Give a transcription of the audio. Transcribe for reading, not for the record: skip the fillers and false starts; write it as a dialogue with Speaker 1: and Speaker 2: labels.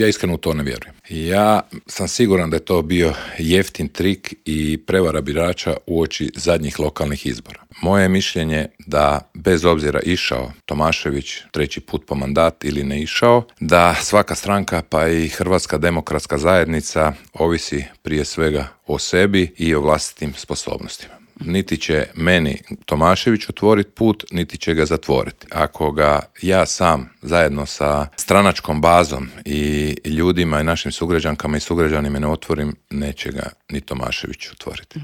Speaker 1: Ja iskreno u to ne vjerujem. Ja sam siguran da je to bio jeftin trik i prevara birača uoči zadnjih lokalnih izbora. Moje mišljenje da bez obzira išao Tomašević 3. put po mandat ili ne išao, da svaka stranka pa i Hrvatska demokratska zajednica ovisi prije svega o sebi i o vlastitim sposobnostima. Niti će meni Tomašević otvoriti put, niti će ga zatvoriti. Ako ga ja sam zajedno sa stranačkom bazom i ljudima i našim sugrađankama i sugrađanima ne otvorim, neće ga ni Tomašević otvoriti.